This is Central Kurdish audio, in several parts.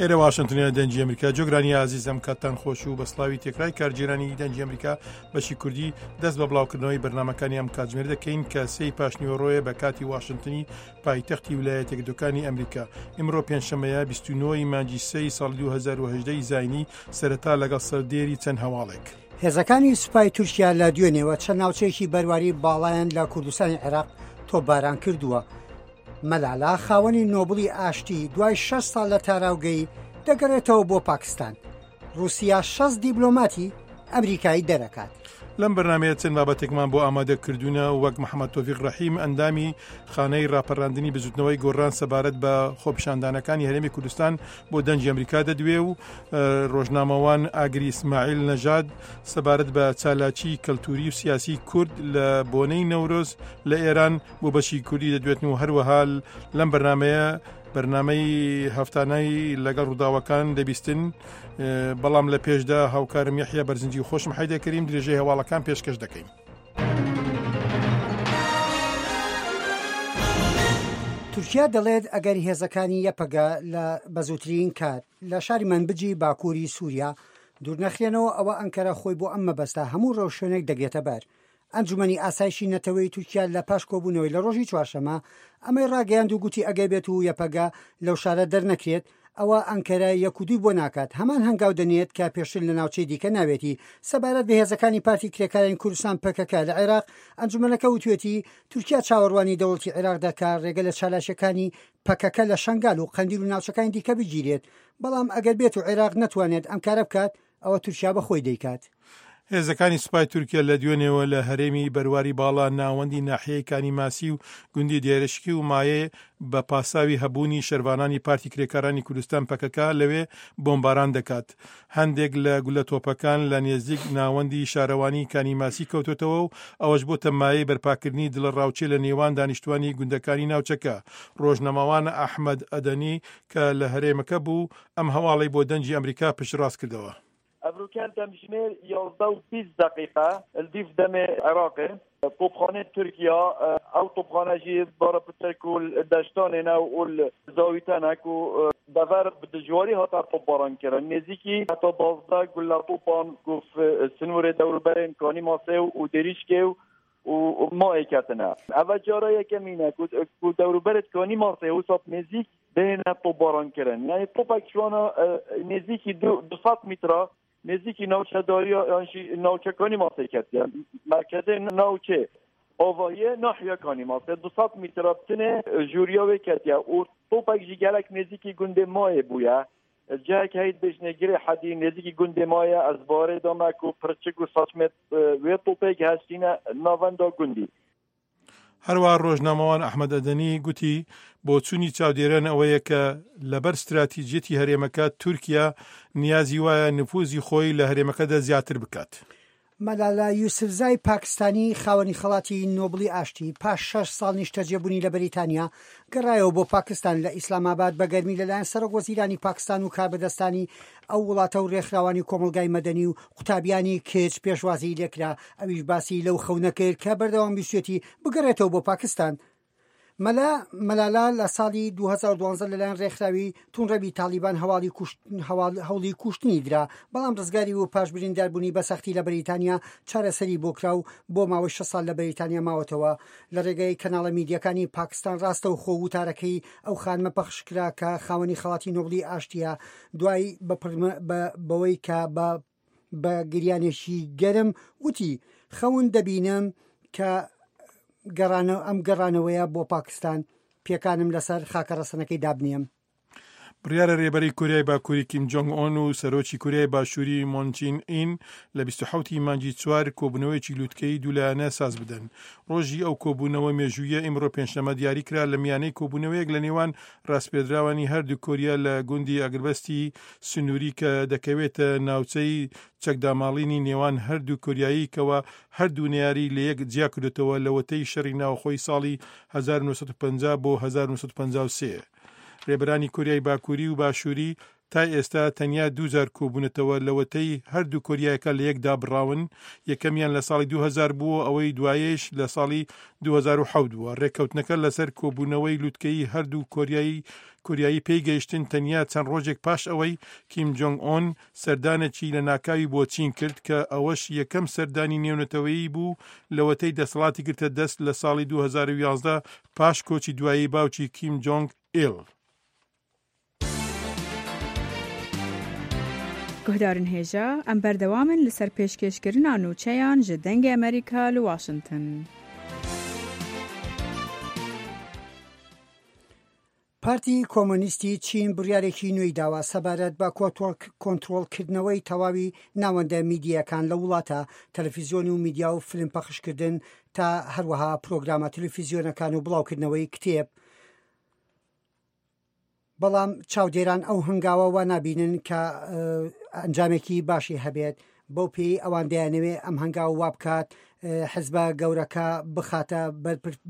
ئێرە واشنتنە دەنگی ئەمریکا جۆگرانی ئازیزم کاتتان خۆش و بە سلاوی تێکرای کارگێرانی دەنگی ئەمریکا بەشی کوردی دەست بە بڵاوکردنەوەی بەرنمەکانی ئەم کاتژمێر دەکەین کە سێی پاشنیوەڕۆیە بە کاتی واشنتنی پایتەختی ولایەتە یەکگرتووەکانی ئەمریکا ئمڕۆ پێنجشەممەیە 29 ی مانگی سێی ساڵی 2018 ی زاینی سەرەتا لەگەڵ سەردێری چەند هەواڵێک. هێزەکانی سوپای تورکیا لە دوێنێوە چەند ناوچەیەکی بەرواری باڵایان لە کوردستانی عێراق تۆپباران کردووە. مەلالا خاوەنی نۆبڵی ئاشتی دوای 6 ساڵ لە تاراوگەی دەگەڕێتەوە بۆ پاکستان. ڕووسیا 60 دیبلۆماتی ئەمریکایی دەرەکات. لەم بەرنامەیە چەند بابەتێکمان بۆ ئامادە کردوونە وەک محەممەد تۆفیق ڕەحیم ئەندامی خانەی ڕاپەڕاندنی بزوتنەوەی گۆڕان سەبارەت بە خۆپیشاندانەکانی هەرێمی کوردستان بۆ دەنگی ئەمریکا دەدوێ و ڕۆژنامەوان ئاگری ئیسماعیل نەژاد سەبارەت بە چالاکی کەلتوری و سیاسی کورد لە بۆنەی نەورۆز لە ئێران بۆ بەشی کوردی دەدوێتن و هەروەها لەم بەرنمەیە بەرنمەی هەفتانەی لەگەڵ ڕووداوەکان دەبیستن بەڵام لە پێشدا هاوکارم یەحیا بەرزنجی خۆشم حیدەکەریم درێژەی هەواڵەکان پێشکەش دەکەین. تورکیا دەڵێت ئەگەر هێزەکانی یەپەگە لە بەزووترین کات لە شاری مەنبجی باکووری سووریا دوورنەخرێنەوە ئەوە ئەنکەرە خۆی بۆ ئەم مەبەستە هەموو ڕێوشوێنێک دەگرێتە بەر. ئەنجومەنی ئاسایشی نەتەوەیی تورکیا لە پاش کۆبوونەوەی لە ڕۆژی چوارشەممە ئەمەی ڕاگەیاند و گوتی ئەگەر بێت و یەپەگە لەو شارە دەرنەکرێت ئەوا ئەنکەرە یەک و دووی بۆ ناکات هەمان هەنگاو دەنێت کە پێشتر لە ناوچەی دیکە ناوێتی. سەبارەت بە هێزەکانی پارتی کرێکارانی کوردستان پەکەکە لە عێراق، ئەنجومەنەکە وتوێتی تورکیا چاوەڕوانی دەوڵەتی عێراق دەکات ڕێگە لە چالاکیەکانی پەکەکە لە شەنگال و قەندیل و ناوچەکانی دیکە بگیرێت، بەڵام ئەگەر بێت و عێراق نەتوانێت ئەم کارە بکات ئەوە تورکیا بە خۆی دەیکات. هێزەکانی سوپای تورکیا لە دوێنێوە لە هەرێمی بەرواری باڵا ناوەندی ناحیەی کانی ماسی و گوندی دێرشکی و مایێ بە پاساوی هەبوونی شەرڤانانی پارتی کرێکارانی کوردستان پەکەکە لەوێ بۆمباران دەکات. هەندێک لە گولە تۆپەکان لە نێزیک ناوەندی شارەوانی کانی ماسی کەوتۆتەوە و ئەوەش بۆتە مایەی بەرپاکردنی دڵەڕاوکێ لە نێوان دانیشتوانی گوندەکانی ناوچەکە. ڕۆژنامەوان ئەحمەد ئەدەنی کە لە هەرێمەکە بوو ئەم هەواڵەی بۆ دەنگی ئەمریکا پشتڕاست کردەوە. ئەڤروکەن دەمژمێر 11 و 20 دەقیقە لدیف دەمێ عێراقێ تۆپخانەی تورکیا ئەو تۆپخانە ژی بارە پتر کو دەشتانێ نە و زاویتەنە کو دەڤەر bi dijwarî hate topbaran kirin. Nêzîkî heta 12 gule topan ku sinûrê dewrûberên Kanîmasê û Dêrîşkê û mayê ketine. Eva cara yekemîn e ku ku dewrûberê Kanîmasê wisa bi nêzîk bihêne topbaran kirin. Yanî topek ji wan nêzîkî 200 mîtra nêzîkî navçedariya yan jî navçe Kanîmasê ketiye. Merkezê navçê avahiyê nahiya Kanîmasê 200 mîtra bi tenê jûriya wê ketiye û topek jî gelek nêzîkî gundê mayê bûye. Cihek heye dibêjine Girê Hedî nêzîkî gundê ma ye ez barê dame ku pirçik û saçmê wê topê giheştîne navenda gundî. هەروەها ڕۆژنامەوان ئەحمەد ئەدەنی گوتی، بۆچوونی چاودێران ئەوەیە کە لەبەر ستراتیجیەتی هەرێمەکە تورکیا نیازی وایە نفوزی خۆی لە هەرێمەکەدا زیاتر بکات. مەلالە یوسفزای پاکستانی خاوەنی خەڵاتی نۆبڵی ئاشتی پاش شەش ساڵ نیشتەجێبوونی لە بەریتانیا گەڕایەوە بۆ پاکستان لە ئیسلامئاباد بە گەرمی لەلایەن سەرۆک وەزیرانی پاکستان و کاربەدەستانی ئەو وڵاتە و رێکخراوانی کۆمەڵگای مەدەنی و قوتابیانی کچ پێشوازیی لێکرا، ئەویش باسی لەو خەونە کرد کە بەردەوام ویستویەتی بگەڕێتەوە بۆ پاکستان. مەلا مەلالا لە ساڵی 2012 لەلایەن رێکخراوی توندڕەوی تاڵیبان هەواڵی هەوڵی کوشتنی درا، بەڵام رزگاری و پاش برینداربوونی بە سەختی لە بەریتانیا چارەسەری بۆ کرا و بۆ ماوەی شەش ساڵ لە بەریتانیا ماوەتەوە. لە ڕێگەی کەناڵە میدیەکانی پاکستان ڕاستەوخۆ وتارەکەی ئەو خانمە پەخش کرا کە خاوەنی خەڵاتی نۆبڵی ئاشتیە دوای بەوەی کە بە بە گریانێکی گەرم وتی خەون دەبینم کە گەڕانەوە ئەم گەڕانەوەیە بۆ پاکستان پێکانم لەسەر خاکە ڕەسەنەکەی دابنێم. بڕیارە رێبەری کۆریای باکووری کیم جۆنگ ئۆن و سەرۆکی کۆریای باشووری مۆن چین ئین لە 27 ی مانگی چوار کۆبوونەوەیەکی لووتکەیی دوولایەنە ساز بدەن. ڕۆژی ئەو کۆبوونەوە مێژوویە ئیمڕۆ پێنجشەممە دیاری کرا لە میانەی کۆبوونەوەیەک لە نێوان ڕاسپێردراوانی هەردوو کۆریا لە گوندی ئاگربەستی سنووری کە دەکەوێتە ناوچەی چەکداماڵینی نێوان هەردوو کۆریایی کەوا هەردوو نەیاری لەیەک جیاکردۆتەوە لەوەتەی شەڕی ناوخۆی ساڵی 1950 بۆ 1953. رێبەرانی کۆریای باکووری و باشووری تا ئێستا تەنیا دووجار کۆبوونەتەوە لەوەتەی هەردوو کۆریایەکە لەیەک دابڕاون، یەکەمیان لە ساڵی 2000 بووە ئەوەی دوایەیش لە ساڵی 2007 بووە. رێککەوتنەکە لەسەر کۆبوونەوەی لوتکەیی هەردوو کۆریای کوریایی پێی گەیشتن تەنیا چەند ڕۆژێک پاش ئەوەی کیم جۆنگ ئۆن سەردانێکی لەناکاوی بۆ چین کرد کە ئەوەش یەکەم سەردانی نێونەتەوەیی بوو لەوەتەی دەسەڵاتی گرتە دەست لە ساڵی 2011 پاش کۆچی دوایی باوکی کیم جۆنگ ئیل. Guhdarên hêja, em berdewam in li ser pêşkêşkirina nûçeyan ji Dengê Amerîka li Washington. پارتی کۆمۆنیستی چین بڕیارێکی نوێی داوە سەبارەت بە کۆنترۆڵکردنەوەی تەواوی ناوەندە میدییەکان لە وڵاتە، تەلەفیزیۆن و میدیا و فلم پەخشکردن تا هەروەها پرۆگرامە تەلەفیزیۆنەکان و بڵاوکردنەوەی کتێب. بەڵام چاودێران ئەو هەنگاوە وا نابینن کە ئەنجامێکی باشی هەبێت، بەو پێی ئەوان دەیانەوێت ئەم هەنگاو وا بکات حزبە گەورەکە بخاتە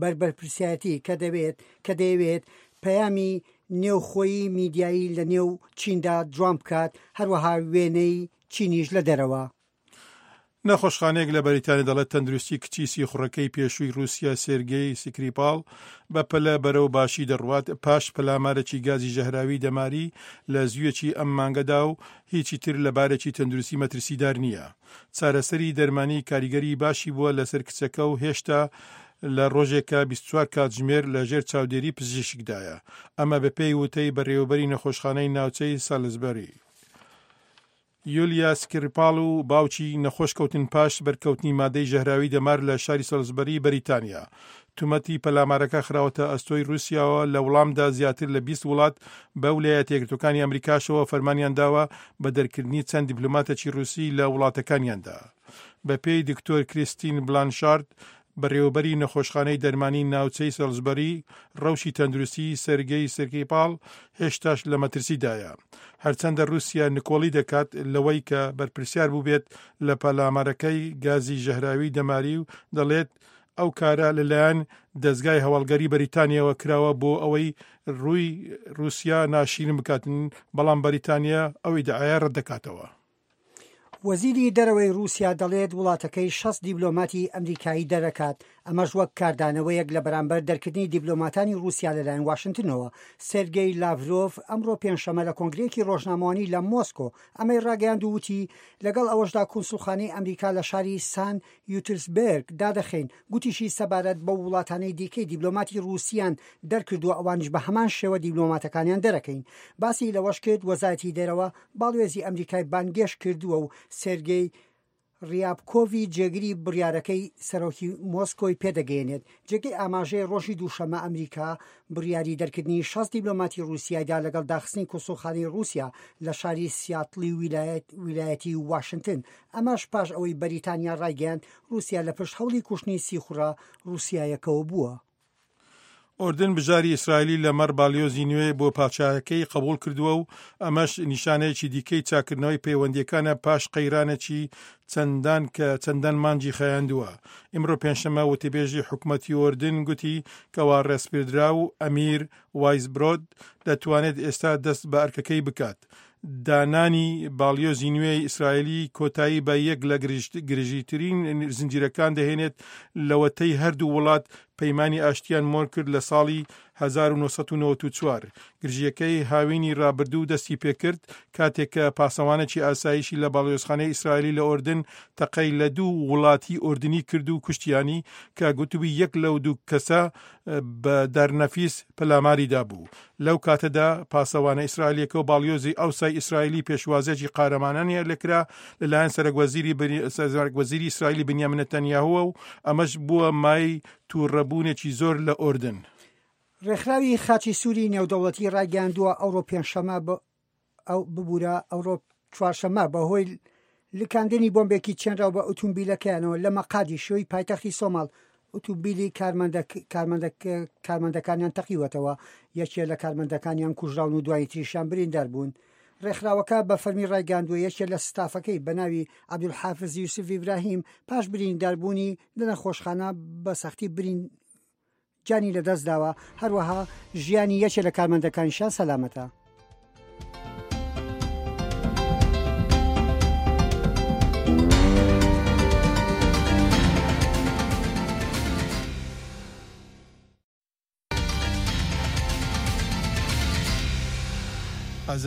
بەر بەرپرسیارەتی کە دەوێت کە دەیەوێت پەیامی نێوخۆیی میدیایی لە نێو چیندا جوان بکات هەروەها وێنەی چینیش لە دەرەوە. نەخۆشخانەیەک لە بەریتانیا دەڵێت تەندروستی کچی سیخوڕەکەی پێشووی رووسیا سێرگێی سکریپاڵ بە پەلە بەرەو باشی دەڕوات پاش پەلامارێکی گازی ژەهراوی دەماری لە زوویەکی ئەم مانگەدا و هیچی تر لە بارێکی تەندروستی مەترسیدار نییە. چارەسەری دەرمانی کاریگەری باشی بووە لەسەر کچەکە و هێشتا لە ڕۆژێکا 24 کاتژمێر لە ژێر چاودێری پزیشکدایە. ئەمە بەپێی وتەی بەڕێوەبەری نەخۆشخانەی ناوچەی سالزبەری. یولیا سکریپاڵ و باوکی نەخۆش کەوتن پاش بەرکەوتنی مادەی ژەهراوی دەمار لە شاری سەلزبەری بەریتانیا. تومەتی پەلامارەکە خراوەتە ئەستۆی رووسیاوە، لە وڵامدا زیاتر لە 20 وڵات بە ولایەتە یەکگرتووەکانی ئەمریکاشەوە فەرمانیان داوە بە دەرکردنی چەند دیپلۆماتێکی رووسی لە وڵاتەکانیاندا. بەپێی دکتۆر کریستین بلانشارد، بەڕێوەبەری نەخۆشخانەی دەرمانی ناوچەی سەلزبەری، ڕەوشی تەندروستیی سێرگێی سکریپاڵ هێشتاش لە مەترسیدایە. هەرچەندە رووسیا نکۆڵی دەکات لەوەی کە بەرپرسیار بووبێت لە پەلامارەکەی گازی ژەهراوی دەماری و دەڵێت ئەو کارە لەلایەن دەزگای هەواڵگەری بەریتانیاوە کراوە بۆ ئەوەی رووی رووسیا ناشیرین بکات، بەڵام بەریتانیا ئەو ئیدعایە رەتدەکاتەوە. وەزیری دەرەوەی ڕووسیا دەڵێت وڵاتەکەی 60 دیبلۆماتی ئەمریکایی دەرەکات، ئەمەش وەک کاردانەوەیەک لە بەرامبەر دەرکردنی دیبلۆماتانی ڕووسیا لەلایەن واشنتنەوە. سێرگێی لاڤرۆڤ ئەمڕۆ پێنجشەممە لە کۆنگرەیەکی ڕۆژنامەوانی لە مۆسکۆ ئەمەی ڕاگەیاند و وتی لەگەڵ ئەوەشدا کونسوڵخانەی ئەمریکا لە شاری سان یوترسبێرگ دادەخەین. گوتیشی سەبارەت بەو وڵاتانەی دیکەی دیبلۆماتی ڕووسیان دەرکردووە ئەوانیش بە هەمان شێوە دیبلۆماتەکانیان دەرەکەین. باسی لەوەش کرد وەزارەتی دەرەوە باڵوێزی ئەمریکای بانگێشت کردووە و سێرگێی ڕیابکۆڤی جێگری بڕیارەکەی سەرۆکی مۆسکۆی پێدەگەیەنێت. جێگەی ئاماژەیە ڕۆژی دووشەممە ئەمریکا بڕیاری دەرکردنی 60 دیبلۆماتی ڕووسیای دا لەگەڵ داخستنی کونسوڵخانەی ڕووسیا لە شاری سیاتڵی ویلایەتی واشنتن، ئەمەش پاش ئەوەی بەریتانیا ڕایگەیاند ڕووسیا لە پشت هەوڵی کوشتنی سیخوڕە ڕووسیایەکەوە بووە. ئوردن بژاری ئیسرائیلی لەمەڕ باڵیۆزی نوێ بۆ پادشاهەکەی قبوڵ کردووە و ئەمەش نیشانەیەکی دیکەی چاککردنەوەی پەیوەندییەکانە پاش قەیرانێکی چەندان کە چەندان مانگی خایاندووە. ئیمڕۆ پێنجشەممە وتەبێژی حکومەتی ئوردن گوتی کەوا ڕێسپێردراو ئەمیر وایسبرۆد دەتوانێت ئێستا دەست بە ئەرکەکەی بکات. دانانی باڵیۆزی نوێی ئیسرائیلی کۆتایی بە یەک لە گرژیترین زنجیرەکان دەهێنێت لەوەتەی هەردوو وڵات پەیمانی ئاشتیان مۆر کرد لە ساڵی 1994. گرژییەکەی هاوینی رابردوو دەستی پێکرد کاتێک کە پاسەوانێکی ئاسایشی لە باڵیۆزخانەی ئیسرائیلی لە ئۆردن تەقەی لە دوو وڵاتی ئۆردنی کرد و کوشتیانی کە گوتبووی یەک لەو دوو کەسە بە دارنەفیس پەلاماری دابوو. لەو کاتەدا پاسەوانە ئیسرائیلیەکە و باڵیۆزی ئەوسای ئیسرائیلی پێشوازیەکی قارەمانانیان لێکرا لەلایەن سەرۆک وەزیری ئیسرائیلی بنیامین نەتەنیاهووە و ئەمەش بووە مایەی تووڕەبوونێکی زۆر لە ئۆردن. ڕێکخراوی خاچی سووری نێودەوڵەتی ڕایگەیاندووە، ئەوڕۆ پێنجشەممە ئەو ببورە ئەوڕۆ چوارشەممە بەهۆی لکاندنی بۆمبێکی چێنراو بە ئوتومبیلەکەیانەوە لە مەقادیشۆی پایتەختی سۆماڵ ئوتومبیلی کارمەندەکانیان تەقیوەتەوە، یەکێ لە کارمەندەکانیان کوژراون و دوانی تریشیان بریندار بوون. ڕێکخراوەکە بە فەرمی ڕایگەیاندووە یەکێ لە ستافەکەی بە ناوی عەبدولحافز یوسف ئیبراهیم پاش برینداربوونی لە نەخۆشخانە بە سەختی برین گیانی لەدەستداوە، هەروەها ژیانی یەکێ لە کارمەندەکانیشیان سەلامەتە.